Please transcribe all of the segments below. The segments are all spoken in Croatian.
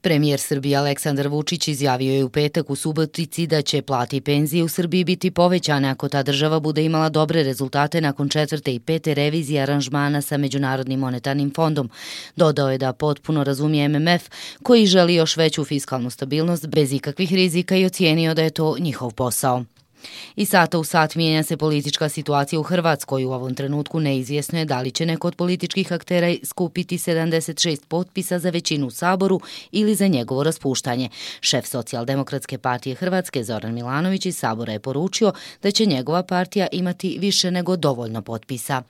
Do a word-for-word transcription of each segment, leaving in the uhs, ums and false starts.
Premijer Srbije Aleksandar Vučić izjavio je u petak u Subotici da će plate i penzije u Srbiji biti povećane ako ta država bude imala dobre rezultate nakon četvrte i pete revizije aranžmana sa Međunarodnim monetarnim fondom. Dodao je da potpuno razumije M M F koji želi još veću fiskalnu stabilnost bez ikakvih rizika i ocijenio da je to njihov posao. I sata u sat mijenja se politička situacija u Hrvatskoj. U ovom trenutku neizvjesno je da li će neko od političkih aktera skupiti sedamdeset šest potpisa za većinu u Saboru ili za njegovo raspuštanje. Šef Socijaldemokratske partije Hrvatske Zoran Milanović iz Sabora je poručio da će njegova partija imati više nego dovoljno potpisa.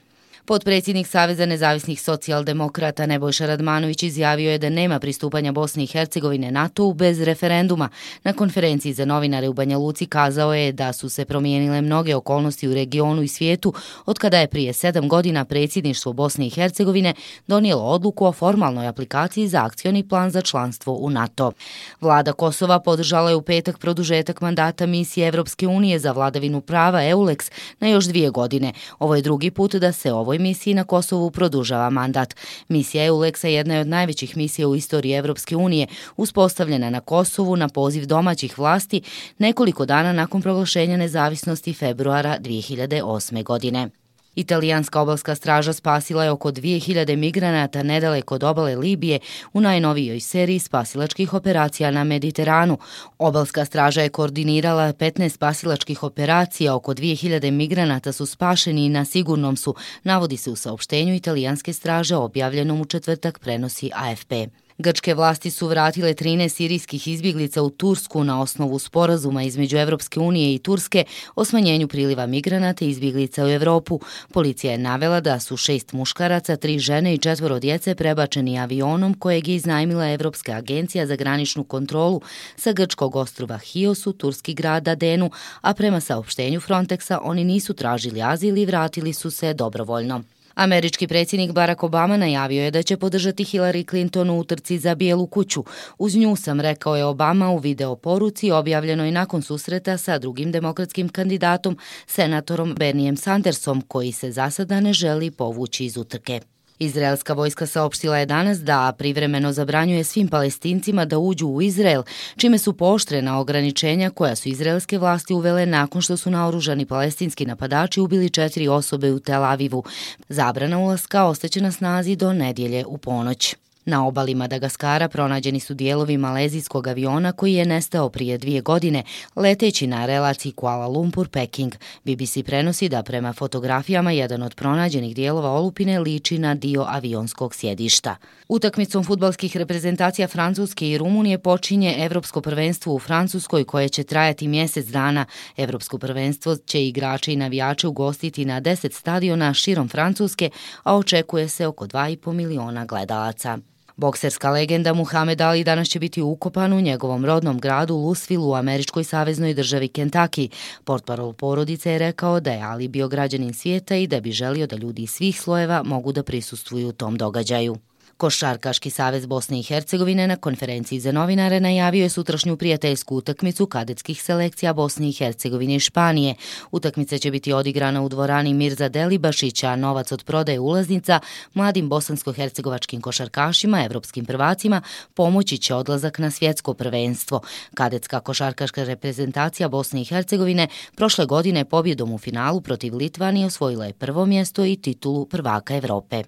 Potpredsjednik Saveza nezavisnih socijaldemokrata Nebojša Radmanović izjavio je da nema pristupanja Bosne i Hercegovine NATO-u bez referenduma. Na konferenciji za novinare u Banja Luci kazao je da su se promijenile mnoge okolnosti u regionu i svijetu od kada je prije sedam godina predsjedništvo Bosne i Hercegovine donijelo odluku o formalnoj aplikaciji za akcioni plan za članstvo u NATO. Vlada Kosova podržala je u petak produžetak mandata misije Evropske unije za vladavinu prava EULEX na još dvije godine. Ovo je drugi put da se ovoj misiji na Kosovu produžava mandat. Misija EULEX-a jedna je od najvećih misija u istoriji Evropske unije, uspostavljena na Kosovu na poziv domaćih vlasti nekoliko dana nakon proglašenja nezavisnosti februara dvije hiljade osme. godine. Italijanska obalska straža spasila je oko dvije hiljade migranata nedaleko od obale Libije u najnovijoj seriji spasilačkih operacija na Mediteranu. Obalska straža je koordinirala petnaest spasilačkih operacija, oko dvije hiljade migranata su spašeni i na sigurnom su, navodi se u saopštenju italijanske straže objavljenom u četvrtak, prenosi A F P. Grčke vlasti su vratile trinaest sirijskih izbjeglica u Tursku na osnovu sporazuma između Evropske unije i Turske o smanjenju priliva migranata i izbjeglica u Evropu. Policija je navela da su šest muškaraca, tri žene i četvoro djece prebačeni avionom kojeg je iznajmila Evropska agencija za graničnu kontrolu sa grčkog ostrva Hios u turski grad Adenu, a prema saopštenju Frontexa oni nisu tražili azil i vratili su se dobrovoljno. Američki predsjednik Barack Obama najavio je da će podržati Hillary Clinton u utrci za Bijelu kuću. Uz nju sam, rekao je Obama u video poruci objavljenoj nakon susreta sa drugim demokratskim kandidatom, senatorom Bernijem Sandersom, koji se za sada ne želi povući iz utrke. Izraelska vojska saopštila je danas da privremeno zabranjuje svim Palestincima da uđu u Izrael, čime su pooštrena ograničenja koja su izraelske vlasti uvele nakon što su naoružani palestinski napadači ubili četiri osobe u Tel Avivu. Zabrana ulaska ostaće na snazi do nedjelje u ponoć. Na obali Madagaskara pronađeni su dijelovi malezijskog aviona koji je nestao prije dvije godine, leteći na relaciji Kuala Lumpur-Peking. B B C prenosi da prema fotografijama jedan od pronađenih dijelova olupine liči na dio avionskog sjedišta. Utakmicom fudbalskih reprezentacija Francuske i Rumunije počinje Evropsko prvenstvo u Francuskoj koje će trajati mjesec dana. Evropsko prvenstvo će igrače i navijače ugostiti na deset stadiona širom Francuske, a očekuje se oko dva i po miliona gledalaca. Bokserska legenda Muhamed Ali danas će biti ukopan u njegovom rodnom gradu Louisville u američkoj saveznoj državi Kentucky. Portparol porodice je rekao da je Ali bio građanin svijeta i da bi želio da ljudi iz svih slojeva mogu da prisustvuju tom događaju. Košarkaški savez Bosne i Hercegovine na konferenciji za novinare najavio je sutrašnju prijateljsku utakmicu kadetskih selekcija Bosne i Hercegovine i Španije. Utakmica će biti odigrana u dvorani Mirza Delibašića, a novac od prodaje ulaznica mladim bosansko-hercegovačkim košarkašima, evropskim prvacima, pomoći će odlazak na svjetsko prvenstvo. Kadetska košarkaška reprezentacija Bosne i Hercegovine prošle godine pobjedom u finalu protiv Litvanije osvojila je prvo mjesto i titulu prvaka Evrope.